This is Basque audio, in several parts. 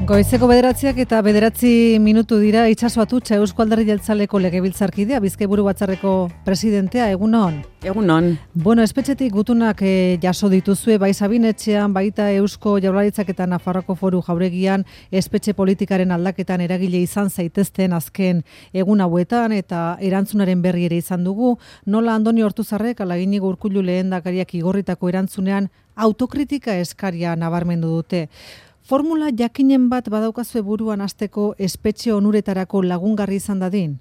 Goizeko 9 eta 9 minutu dira. Itxaso Atutxa, Eusko Alderdi Jeltzaleko legebiltzarkidea, Bizkaiburu Batzarreko presidentea, egunon. Egunon. Bueno, espetxetik gutunak jaso dituzue, bai Sabinetxean, baita Eusko Jaurlaritzak eta Nafarroako Foru Jauregian espetxe politikaren aldaketan eragile izan zaitezten azken egun hauetan eta erantzunaren berri ere izan dugu. Nola Andoni Ortuzarrek ala Iñigo Urkullu lehendakariak igorritako erantzunean autokritika eskaria nabarmendu dute. Formula jakinen bat badaukazue buruan hasteko espetxe onuretarako lagungarri izan dadin?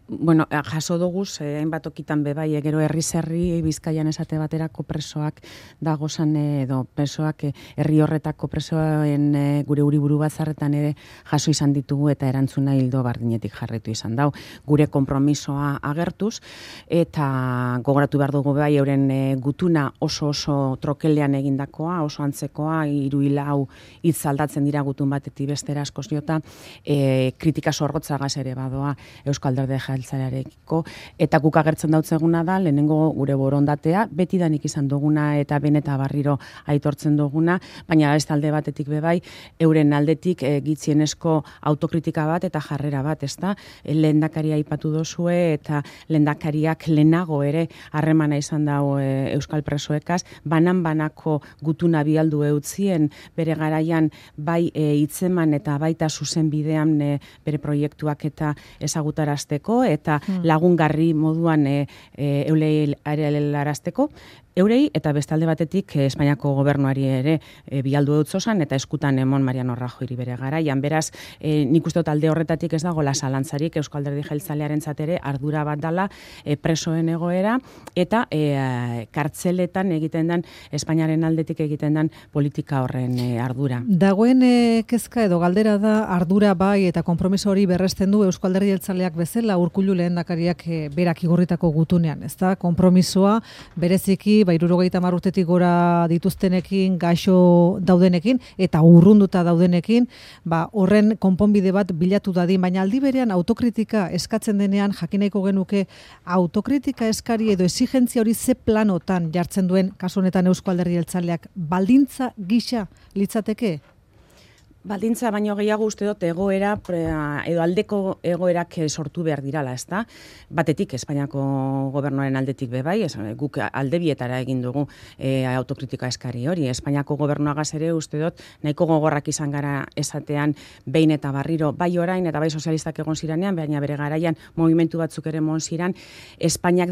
Bueno, jaso duguz, hainbat okitan bebai, gero herri Bizkaian esate baterako presoak dagozan edo presoak herri horretako presoen gure Uriburu Batzarretan ere jaso izan ditugu eta erantzuna hildo bardinetik jarritu izan dau. Gure konpromisoa agertuz eta gogoratu behar dugu bebai euren gutuna oso trokelean egindakoa, oso antzekoa, 3-4 hitz aldatzen dira gutun batetik bestera askoz jota, kritika zorrotzagaz ere badoa Euskal Alderdi Jeltzalearekiko, eta guk agertzen dautzeguna da, lehenengo gure borondatea, betidanik izan duguna eta beneta barriro aitortzen duguna, baina ez talde batetik bebai, euren aldetik gitzienezko autokritika bat eta jarrera bat, ezta? Lehendakaria aipatu dozue eta lehendakariak lehenago ere harremana izan dago Euskal presoekaz, banan-banako gutuna bialdu eutzien bere garaian bai hitzeman eta baita zuzen bidean bere proiektuak eta ezagutarazteko eta lagungarri moduan eulei arelarazteko, eurei eta bestalde batetik Espainiako gobernuari ere bialdu dutzozan eta eskutan emon Mariano Rajoyri bere garaian. Beraz, nik uste dut alde horretatik ez dago lasαλantzarik Eusko Alderdi Jeltzalearentzat ere ardura bat dala presoen egoera eta kartzeletan egiten den Espainiaren aldetik egiten den politika horren ardura. Dagoen kezka edo galdera da ardura bai eta konpromiso hori berresten du Eusko Alderdi Jeltzaleak bezala Urkullu lehendakariak berak igorritako gutunean, ezta? Konpromisoa bereziki 70 urtetik gora dituztenekin, gaixo daudenekin eta urrunduta daudenekin, horren konponbide bat bilatu dadin, baina aldi berean autokritika eskatzen denean jakineko genuke autokritika eskari edo exigentzia hori ze planotan jartzen duen kasu honetan Eusko Alderdi Jeltzaleak baldintza gisa litzateke? Baldintza baino gehiago uste dut egoera edo aldeko egoerak sortu behar dirala, ezta? Batetik Espainiako gobernuaren aldetik bebai, guk aldebietara egin dugu autokritika eskari hori. Espainiako gobernuagaz ere uste dut nahiko gogorrak izan gara esatean behin eta barriro, bai orain eta bai sozialistak egon ziranean, baina bere garaian movimentu batzuk ere mon ziran, Espainiak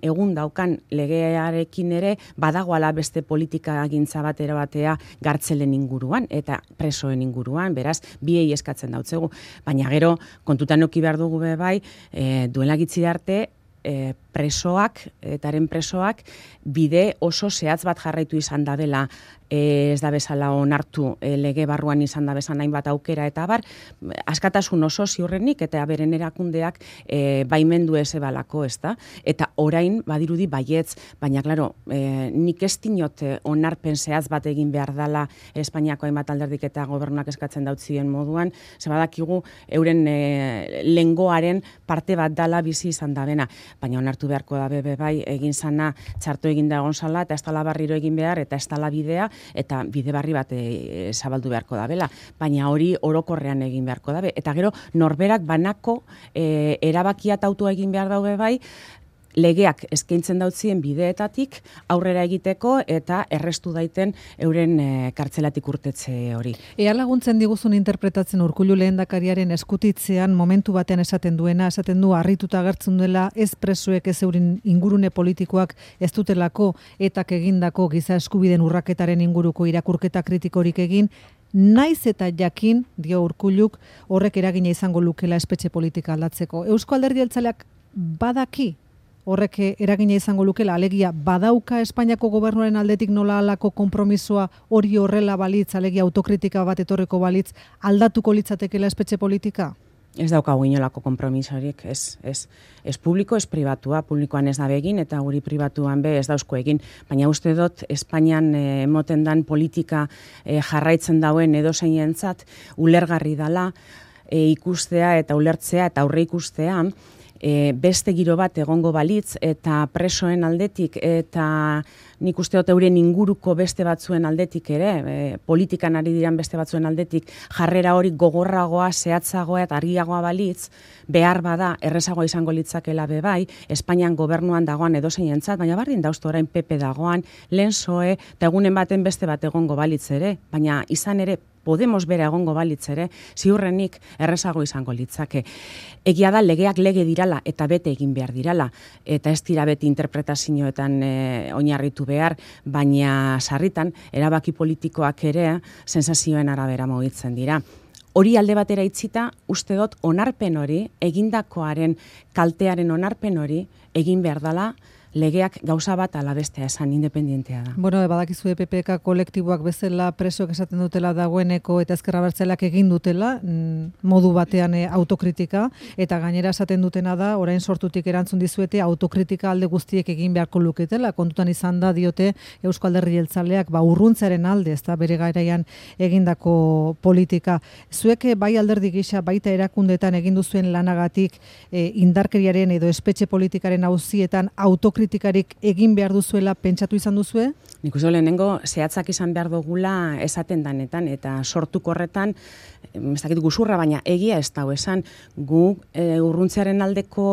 egun daukan legearekin ere badagoala beste politika agintza batera batea gartzelen inguruan eta presoen inguruan. Beraz, biei eskatzen dautzegu. Baina gero, kontutan eduki behar dugu bai, duela gitzi arte, etaren presoak, bide oso zehatz bat jarraitu izan da dela, ez da bezala onartu lege barruan izan da bezan hainbat aukera eta bar, askatasun oso ziurrenik eta beren erakundeak baimendu ez ebalako, ez da? Eta orain badirudi baietz, baina klaro, nik ez dinot onarpen zehatz bat egin behar dala Espainiako hainbat alderdik eta gobernuak eskatzen dautzien moduan, ze badakigu euren lengoaren parte bat dala bizi izan da bena, baina onartu beharko da bai egin zana txarto egin da egon zala eta ez dala barriro egin behar eta ez dala bidea eta bide barri bat zabaldu beharko da bela, baina hori orokorrean egin beharko da eta gero norberak banako erabakia autua egin behar daude bai, legeak eskaintzen dautzien bideetatik aurrera egiteko eta errestu daiten euren kartzelatik urtetze hori. Ea laguntzen diguzun interpretatzen Urkullu lehendakariaren eskutitzean momentu batean esaten du harrituta agertzen dela ez presoek ez euren ingurune politikoak ez dutelako etak egindako giza eskubideen urraketaren inguruko irakurketa kritikorik egin, naiz eta jakin, dio Urkulluk, horrek eragina izango lukela espetxe politika aldatzeko. Eusko Alderdi Jeltzaleak badaki horrek eragina izango lukela, alegia badauka Espainiako gobernuaren aldetik nola alako konpromisoa hori horrela balitz, alegia autokritika bat etorreko balitz, aldatuko litzatekela espetxe politika? Ez daukagu inolako konpromisorik, ez publiko, ez pribatua, publikoan ez da begin eta guri pribatuan ez dauzko egin, baina uste dut Espainian emoten dan politika jarraitzen dauen edozeinentzat ulergarri dala ikustea eta ulertzea eta aurre ikustea beste giro bat egongo balitz eta presoen aldetik eta nik uste dut euren inguruko beste batzuen aldetik ere, politikan ari diran beste batzuen aldetik, jarrera hori gogorragoa, zehatzagoa eta argiagoa balitz, behar bada errezagoa izango litzakela bebai, Espainian gobernuan dagoan edozeinentzat, baina bardin dauzto orain PP dagoan, lehen PSOE, eta egunen baten beste bat egongo balitz ere, baina izan ere, Podemos bera egongo balitz ere, ziurrenik errezago izango litzake. Egia da legeak lege dirala eta bete egin behar dirala, eta ez dira beti interpretazioetan oinarritu behar, baina sarritan erabaki politikoak ere sensazioen arabera mugitzen dira. Hori alde batera itzita, uste dut onarpen hori, egindakoaren kaltearen onarpen hori, egin behar dela, legeak gauza bat ala bestea esan independentea da. Bueno, badakizu PPK kolektiboak bezala presoak esaten dutela dagoeneko eta ezker abertzaleak egin dutela, modu batean autokritika, eta gainera esaten dutena da, orain sortutik erantzun dizuete, autokritika alde guztiek egin beharko luketela, kontutan izan da diote Eusko Alderdi Jeltzaleak urruntzaren alde, ez da bere garaian egindako politika. Zuek bai alderdi gisa, baita erakundetan egin duzuen lanagatik indarkeriaren edo espetxe politikaren auzietan autokritikarik egin behar duzuela pentsatu izan duzue? Nik uste lehenengo zehatzak izan behar dugula esaten danetan eta sortuko horretan, ez dakit guzurra, baina egia ez dago esan, gu urruntzearen aldeko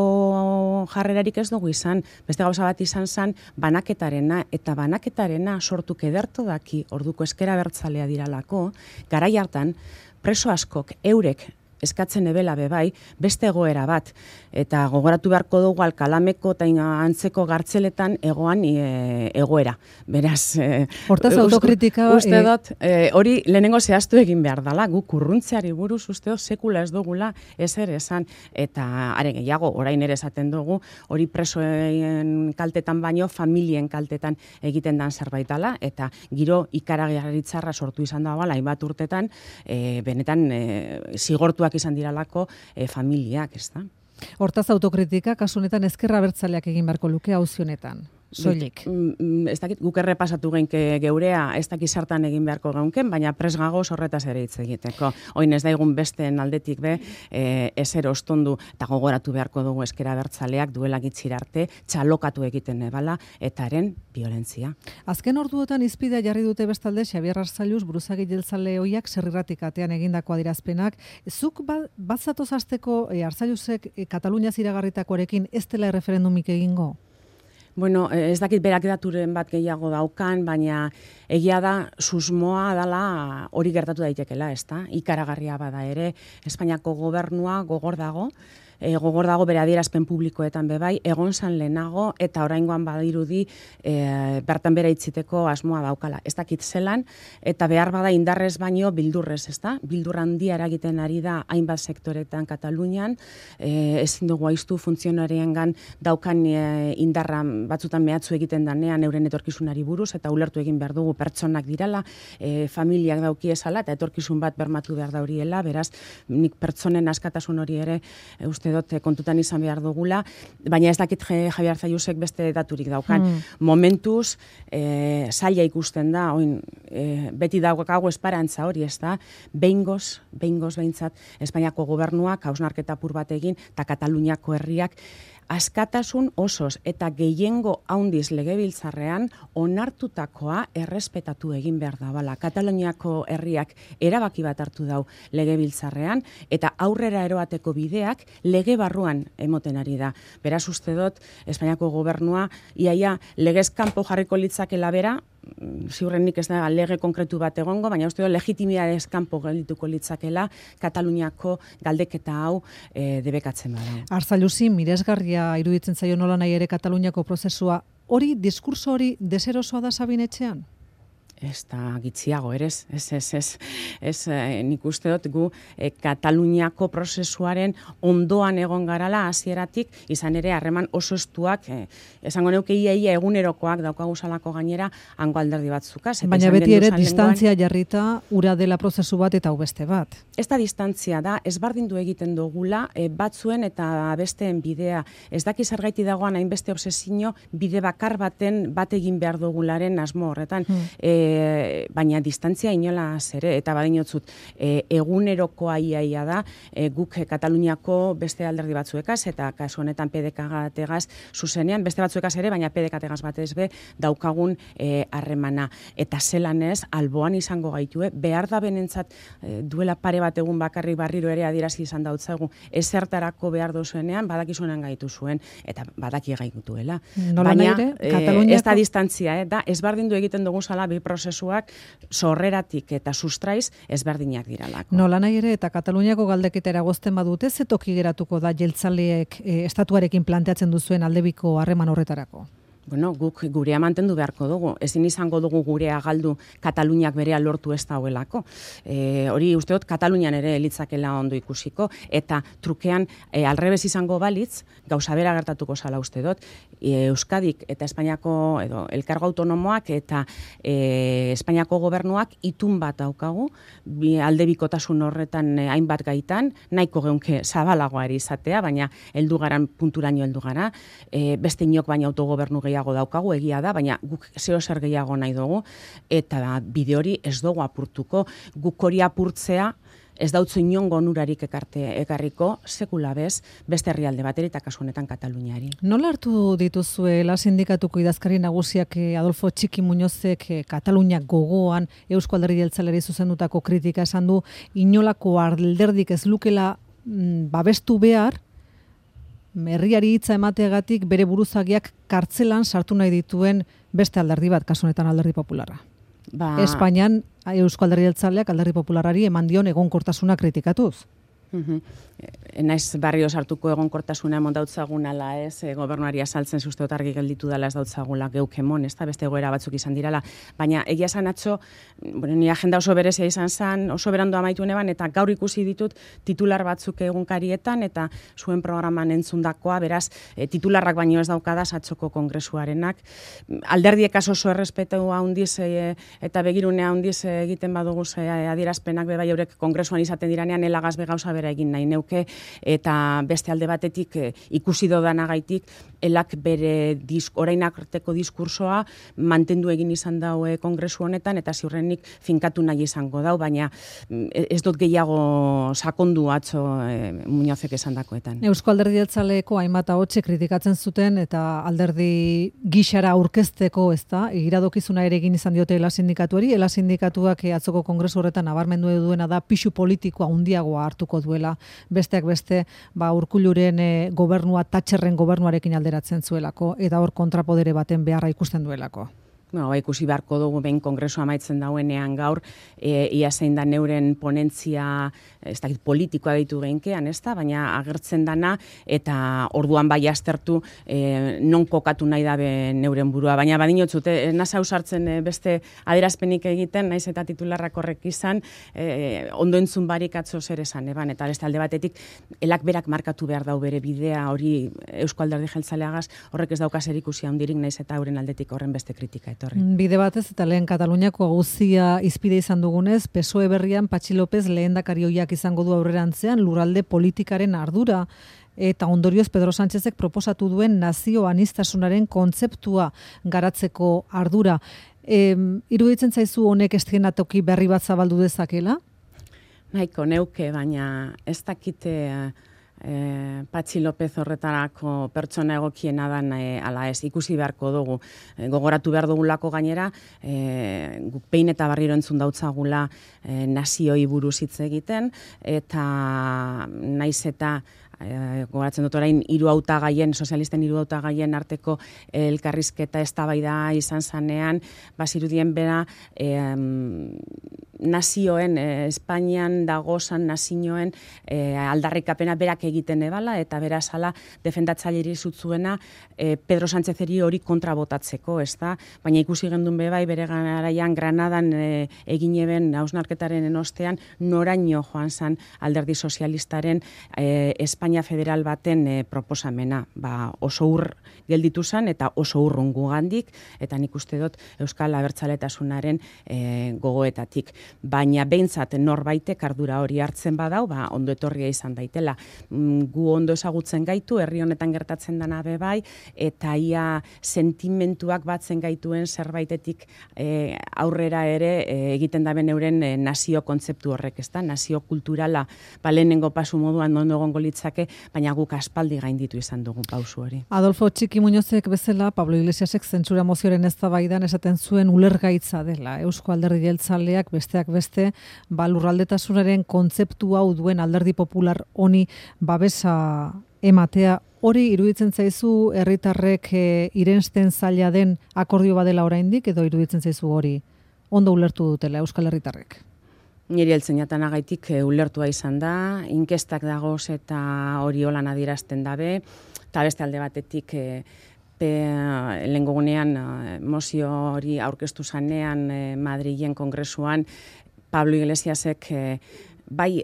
jarrerarik ez dugu izan, beste gauza bat izan zen banaketarena, eta banaketarena sortuk ederto daki orduko ezker abertzalea diralako, garai hartan preso askok eurek eskatzen ebela bebai, beste egoera bat. Eta gogoratu beharko dugu Alkalameko eta antzeko gartzeletan egoan egoera. Beraz, hortaz autokritika... Uste dut, hori lehenengo zehaztu egin behar dela, guk urruntzeari buruz uste dut sekula ez dugula ezer esan. Eta are gehiago, orain ere esaten dugu, hori presoen kaltetan baino, familien kaltetan egiten dan zerbait dela, eta giro ikaragarritzarra sortu izan dagoela, hainbat urtetan, benetan zigortuak izan diralako familiak, ez da? Hortaz autokritika, kasu honetan ezker abertzaleak egin beharko luke auzi honetan. Soilik. Ez dakit, guk errepasatu genke geurea, ez dakit sartan egin beharko geunken, baina presgagoz horretaz ere hitz egiteko. Oin ez daigun besteen aldetik ezer ostondu eta gogoratu beharko dugu ezker abertzaleak duela gitxir arte, txalokatu egiten ebala, eta haren violentzia. Azken orduotan izpidea jarri dute bestalde Xabier Arzalluz buruzagi jeltzale hoiak Zerriratik atean egindako adierazpenak. Zuk batzatoz hasteko Arzalluzek Kataluniaz iragarritakoarekin ez dela erreferendumik egingo? Bueno, ez dakit berak daturen bat gehiago daukan, baina egia da susmoa dela hori gertatu daitekela, ez da? Ikaragarria bada ere, Espainiako gobernua gogor dago bere adierazpen publikoetan bebai, egon zan lehenago eta oraingoan badirudi bertan bera itziteko asmoa daukala. Ez dakit zelan, eta behar bada indarrez baino bildurrez, ez da? Bildur handia eragiten ari da hainbat sektoretan Katalunian, ezin dugu aiztu funtzionariengan daukan indarra batzutan mehatzu egiten danean euren etorkizunari buruz, eta ulertu egin behar dugu pertsonak dirala, familiak dauki ezala, eta etorkizun bat bermatu behar da horiela, beraz, nik pertsonen askatasun hori ere uste dut kontutan izan behar dugula, baina ez dakit Javier Arzallusek beste daturik daukan. Momentuz, zaila ikusten da, beti daukago esperantza hori, ez da, behingoz behintzat, Espainiako gobernuak hausnarketa apur bat egin, eta Kataluniako herriak askatasun osoz eta gehiengo handiz legebiltzarrean onartutakoa errespetatu egin behar da bala. Kataluniako herriak erabaki bat hartu dau legebiltzarrean eta aurrera eroateko bideak lege barruan emoten ari da. Beraz uste dut, Espainiako gobernua iaia legez kanpo jarriko litzakela bera, ziurrenik ez da lege konkretu bat egongo, baina uste dut legitimidadez kanpo geldituko litzakela Kataluniako galdeketa hau debekatzen bada. Arzalluzi, miresgarria iruditzen zaio nola nahi ere Kataluniako prozesua, hori, diskurso hori deserosoa da Sabin etxean? Ez da gitziago, ez, nik uste dut gu Kataluniako prozesuaren ondoan egon garala hasieratik, izan ere harreman oso estuak, esango neuke ia egunerokoak daukaguzalako gainera hango alderdi batzukaz. Baina beti ere distantzia jarrita ura dela prozesu bat eta hau beste bat. Ez da distantzia da, ezberdindu egiten dugula batzuen eta besteen bidea. Ez daki zergaiti dagoan hainbeste obsesio bide bakar baten bat egin behar dugularen asmo horretan. baina distantzia inolaz ere, eta badinotzut, egunerokoa iaia da, guk Kataluniako beste alderdi batzuekaz, eta kasu honetan PDK-gategaz zuzenean, beste batzuekaz ere, baina PDK-gategaz batez be, daukagun harremana. Eta zelan ez, alboan izango gaitue, behar da benentzat duela pare bat egun bakarrik barriro ere adierazi izan dautzegu, ezertarako behar dozuenean, badakizuenan gaitu zuen, eta badaki gaituela. Baina, ez da distantzia, da ezberdindu egiten dugu zala bi prozesuak sorreratik eta sustraiz ezberdinak diralako. Nola nahi ere, eta Kataluniako galdeketa eragozten badute, ze toki geratuko da jeltzaleek estatuarekin planteatzen duzuen aldebiko harreman horretarako? Bueno, guk gurea mantendu beharko dugu. Ezin izango dugu gurea galdu Kataluniak berea lortu ez dauelako. Hori usteot Katalunian ere elitzakela ondo ikusiko, eta trukean alrebez izango balitz, gauza bera gertatuko zala uste dut, Euskadik eta Espainiako edo elkargo autonomoak eta Espainiako gobernuak itun bat daukagu, aldebikotasun horretan hainbat gaitan, nahiko geunke zabalagoari izatea, baina heldu garan punturaino heldu gara, beste inok baina autogobernu gehiago daukagu, egia da, baina guk zeo zer gehiago nahi dugu, eta bide hori ez dugu apurtuko, guk hori apurtzea, ez dautzu inongo onurarik ekarriko, sekula bez, beste herrialde bateri eta kasu honetan Kataluniari. Nola hartu dituzue la sindikatuko idazkari nagusiak Adolfo Txiki Muñozek Kataluniak gogoan Eusko Alderdi Jeltzaleari zuzendutako kritika esan du, inolako alderdik ez lukela babestu behar, herriari hitza emateagatik bere buruzagiak kartzelan sartu nahi dituen beste alderdi bat, kasu honetan Alderdi Popularra. Espainian Eusko Alderdi Jeltzaleak Alderdi Popularrari eman dion egonkortasuna kritikatuz. Naiz barrio sartuko egonkortasuna emon dautzagun ala ez, gobernuari azaltzen uste argi gelditu dela ez dautzagula geukemon, ez da beste egoera batzuk izan dirala, baina egia esan atzo, ni agenda oso berezia izan zen, oso berandu amaitu neban, eta gaur ikusi ditut titular batzuk egunkarietan, eta zuen programan entzundakoa, beraz, titularrak baino ez daukadaz atzoko kongresuarenak. Alderdiek oso errespetu handiz eta begirune handiz egiten badugu adierazpenak bebai eurek kongresuan izaten diranean elagaz begauza bera egin nahi neuke, eta beste alde batetik ikusi dodanagaitik elak bere orain arteko diskursoa mantendu egin izan daue kongresu honetan, eta ziurrenik finkatu nahi izango dau, baina ez dut gehiago sakondu atzo Muñozek esandakoetan. Eusko Alderdi Jeltzaleko hainbat ahotse kritikatzen zuten, eta alderdi gixara aurkezteko, ez da, iradokizuna ere egin izan diote ELA sindikatuari, ELA sindikatuak atzoko kongresu horretan nabarmendu duena da pisu politikoa handiagoa hartuko duela, besteak beste, Urkulluren gobernua Thatcherren gobernuarekin alderatzen zuelako, eta hor kontrapodere baten beharra ikusten duelako. Ikusi beharko dugu behin kongresu amaitzen dauenean gaur, ia zein da neuren ponentzia, ez dakit politikoa ditu behinkean, ez da, baina agertzen dana, eta orduan bai aztertu non kokatu nahi dabe neuren burua. Baina badinotzut, nasa ausartzen beste adierazpenik egiten, naiz eta titularrak horrek izan, ondo entzun barik atzo zer esan, eta beste alde batetik, elak berak markatu behar dau bere bidea, hori Eusko Alderdi Jeltzaleagaz, horrek ez dauka zerikusia handirik, naiz eta euren aldetik horren beste kritika. Bide batez, eta lehen Kataluniako auzia izpide izan dugunez, PSOE berrian Patxi López lehendakari ohiak izango du aurrerantzean lurralde politikaren ardura, eta ondorioz Pedro Sánchezek proposatu duen nazio aniztasunaren kontzeptua garatzeko ardura. Iruditzen zaizu honek eszenatoki berri bat zabaldu dezakela? Nahiko neuke, baina ez dakite Patxi López horretarako pertsona egokiena dan ala ez, ikusi beharko dugu. Gogoratu behar dugulako gainera, guk behin eta barriro entzun dautzagula nazioi buruz hitz egiten, eta naiz eta gogoratzen dut orain sozialisten hiru hautagaien arteko elkarrizketa eztabaida izan zanean, bazirudien bera nazioen, Espainian dagozan nazioen aldarrikapena berak egiten ebala, eta beraz ala defendatzaileri zutzuena Pedro Sánchezeri hori kontrabotatzeko, ez da? Baina ikusi gendun bebai bere garaian Granadan egin eben hausnarketaren enostean noraino joan zan alderdi sozialistaren Espainia federal baten proposamena. Oso ur gelditu zan eta oso urrun gugandik, eta nik uste dut Euskal Abertzaletasunaren gogoetatik. baina behintzat norbaitek ardura hori hartzen badau, ondo etorria izan daitela. Gu ondo ezagutzen gaitu, herri honetan gertatzen dana bai, eta ia sentimentuak batzen gaituen zerbaitetik aurrera ere egiten daben euren nazio kontzeptu horrek, ezta? Nazio kulturala lehenengo pasu moduan ondo egongo litzake, baina guk aspaldi gainditu izan dugu pausu hori. Adolfo Txiki Muñozek bezala, Pablo Iglesiasek zentsura mozioaren eztabaidan esaten zuen ulergaitza dela. Eusko Alderdi Jeltzaleak besteak beste, lurraldetasunaren kontzeptu hau duen Alderdi Popular honi babesa ematea. Hori iruditzen zaizu herritarrek irensten zaila den akordio badela oraindik, edo iruditzen zaizu hori ondo ulertu dutela Euskal Herritarrek? Niri heltzenatan agaitik ulertua izan da, inkestak dagoz eta hori holan adierazten dabe, eta beste alde batetik lehengo gunean mozio hori aurkeztu zanean Madrilen kongresuan, Pablo Iglesiasek bai,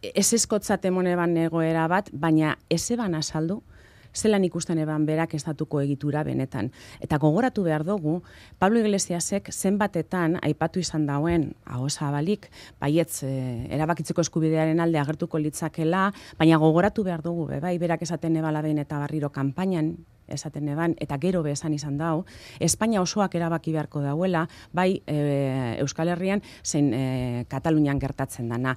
ez eskotzat emone ban egoera bat, baina ez eban azaldu, zelan ikusten eban berak estatuko egitura benetan. Eta gogoratu behar dugu, Pablo Iglesiasek zenbatetan aipatu izan dauen, ahozabalik, baietz erabakitzeko eskubidearen alde agertuko litzakela, baina gogoratu behar dugu, bai, berak esaten ebala behin eta barriro kanpainan, esaten eban, eta gero esan izan dau, Espainia osoak erabaki beharko dauela, bai Euskal Herrian, zein Katalunian gertatzen dana.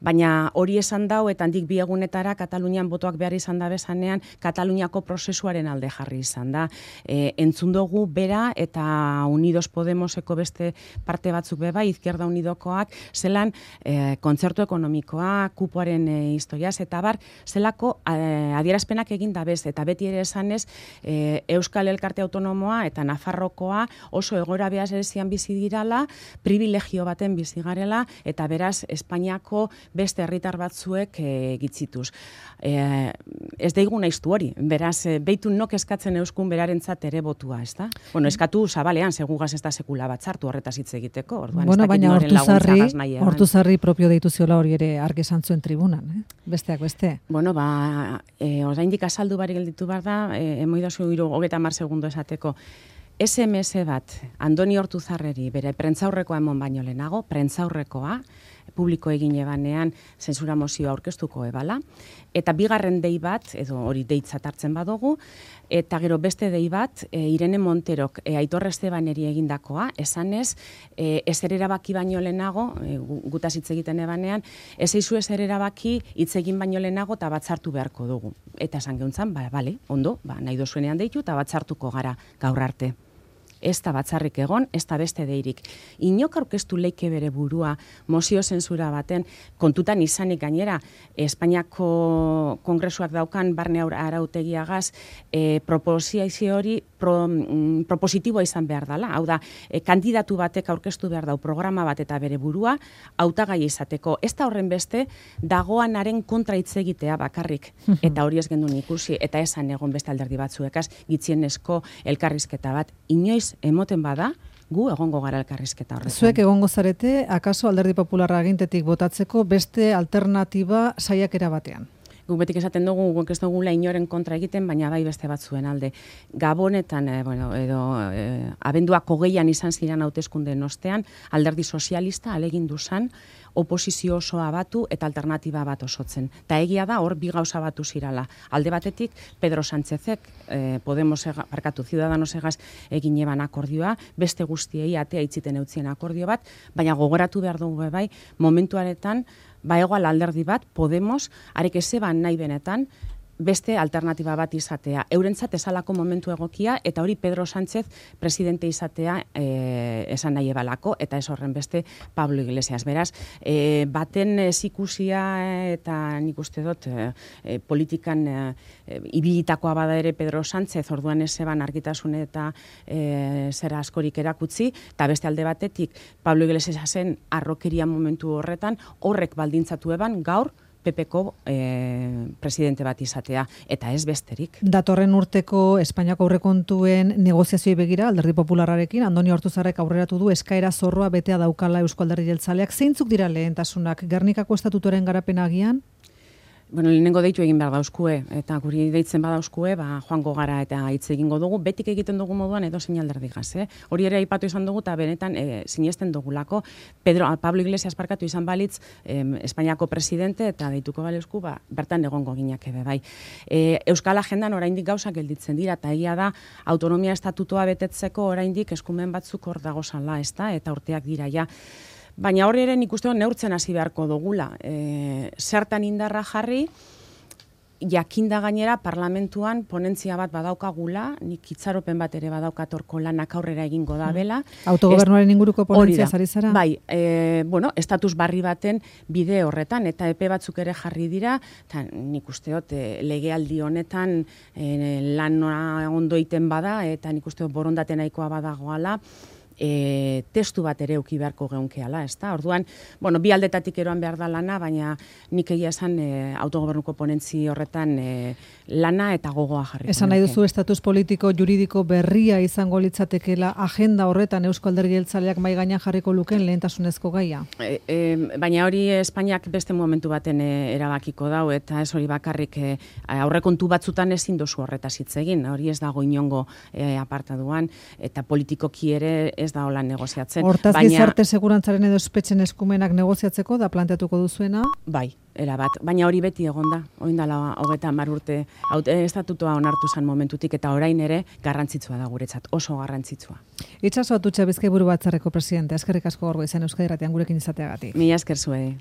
Baina hori esan dau, eta handik bi egunetara Katalunian botoak behar izan da bezanean, Kataluniako prozesuaren alde jarri izan da. Entzun dugu bera, eta Unidos Podemoseko beste parte batzuk bai, Izquierda Unidokoak, zelan kontzertu ekonomikoa, kupoaren historiaz, eta bar, zelako adierazpenak egin da bez, eta beti ere esanez, Euskal Elkarte Autonomoa eta Nafarrokoa oso egoera berezian bizi dirala, privilegio baten bizi garela, eta beraz Espainiako beste herritar batzuek gitzituz. Ez daigu naiztu hori, beraz, beitu nok eskatzen euskun berarentzat ere botua, ez da? Bueno, eskatu zabalean, segugaz ez da sekula bat sartu horretaz hitz egiteko, orduan, bueno, baina Hortuzarri propio deitu ziola hori ere argi esan zuen tribunan, besteak beste. Bueno, oraindik azaldu barik gelditu behar da, emoidazu 30 segundo esateko, SMS bat, Andoni Hortuzarreri, bere prentzaurrekoa emon baino lehenago, prentzaurrekoa, publiko egin ebanean zentsura mozioa aurkeztuko ebala, eta bigarren dei bat, edo hori deitzat hartzen badugu, eta gero beste dei bat, Irene Monterok Aitor Estebaneri egindakoa, esanez, ezer erabaki baino lehenago, gutaz hitz egiten ebanean, ez eizu ezer erabaki hitz egin baino lehenago eta batzartu beharko dugu. Eta esan geuntzan, bale, ondo, nahi dozuenean deitu eta batzartuko gara gaur arte. Ez da batzarrik egon, ez da beste deirik. Inok aurkeztu leike bere burua mozio zentsura baten, kontutan izanik gainera, Espainiako kongresuak daukan barne arautegiagaz, proposizio hori propositiboa izan behar dela. Hau da, kandidatu batek aurkeztu behar dau programa bat eta bere burua, hautagai izateko. Ez da horren beste, dagoanaren kontra hitz egitea bakarrik. Eta hori ez gendun ikusi, eta esan egon beste alderdi batzuekaz, gitzienezko elkarrizketa bat. Inoiz emoten bada, gu egongo gara elkarrizketa horretan. Zuek egongo zarete, akaso Alderdi Popularra agintetik botatzeko beste alternatiba saiakera batean? Guk betik esaten dugu, guk ez dugula inoren kontra egiten, baina bai beste batzuen alde. Gabonetan, abenduak 20an izan ziren hauteskundeen ostean, Alderdi Sozialista alegindu zan, oposizio osoa batu eta alternatiba bat osotzen. Ta egia da, hor bi gauza batu zirala. Alde batetik, Pedro Sánchezek, Ciudadanosegaz egin eban akordioa, beste guztiei atea itziten eutzien akordio bat, baina gogoratu behar dugu bai, momentuaretan, egoal alderdi bat, Podemos, arek ezeban nahi benetan, beste alternatiba bat izatea. Eurentzat esalako momentu egokia, eta hori Pedro Sánchez presidente izatea esan nahi ebalako, eta ez horren beste Pablo Iglesias. Beraz, baten zikusia eta nik uste dut politikan ibilitakoa bada ere Pedro Sánchez, orduan ez eban argitasune eta zera askorik erakutzi, eta beste alde batetik Pablo Iglesiasen arrokeria momentu horretan, horrek baldintzatu eban gaur PPko presidente bat izatea, eta ez besterik. Datorren urteko Espainiako aurrekontuen negoziazioi begira, Alderdi Popularrarekin, Andoni Hortuzarrek aurreratu du eskaera zorroa betea daukala Eusko Alderdi Jeltzaleak. Zeintzuk dira lehentasunak? Gernikako estatutoren garapena agian? Bueno, lehenengo deitu egin behar dauzkue, eta guri deitzen badauzkue, joango gara eta hitz egingo dugu, betik egiten dugu moduan edo zein alderdigaz, Hori ere aipatu izan dugu, eta benetan sinesten dugulako, Pablo Iglesias parkatu izan balitz, Espainiako presidente, eta deituko baleuzku, bertan egongo ginak ebe bai. Euskal Agendan oraindik gauzak gelditzen dira, eta egia da, autonomia estatutoa betetzeko oraindik eskumen batzuk hor dagozala, eta urteak dira, ja. Baina hori ere nik uste neurtzen hasi beharko dugula. Zertan indarra jarri, jakinda gainera parlamentuan ponentzia bat badaukagula, nik itxaropen bat ere badaukatorko lanak aurrera egingo da bela. Autogobernuaren inguruko ponentzia zari zara? Bai, estatus barri baten bide horretan, eta epe batzuk ere jarri dira, eta nik usteot legealdi honetan lana ondo iten bada, eta nik usteot borondate nahikoa badagoala, testu bat ere euki beharko geunkeala, ezta? Orduan, bi aldetatik eroan behar da lana, baina nik egia esan autogobernuko ponentzi horretan lana eta gogoa jarriko. Esan nahi duzu estatus politiko juridiko berria izango litzatekeela agenda horretan Eusko Alderdi Jeltzaleak mahai gainean jarriko luken lehentasunezko gaia? Baina hori Espainiak beste momentu baten erabakiko dau, eta ez hori bakarrik aurrekontu batzutan ezin dozu horretaz hitz egin, hori ez dago inongo apartaduan, eta politikoki ere ez da hola negoziatzen. Hortaz gizarte segurantzaren edo espetxen eskumenak negoziatzeko da planteatuko duzuena? Bai, erabat. Baina hori beti egon da. Orain dela 30 urte estatutua onartu zen momentutik, eta orain ere garrantzitsua da guretzat, oso garrantzitsua. Itxaso Atutxa Bizkaiburu Batzarreko presidente, eskerrik asko Gaurgo izan Euskadi Irratian gurekin izateagatik. Mila esker zuei.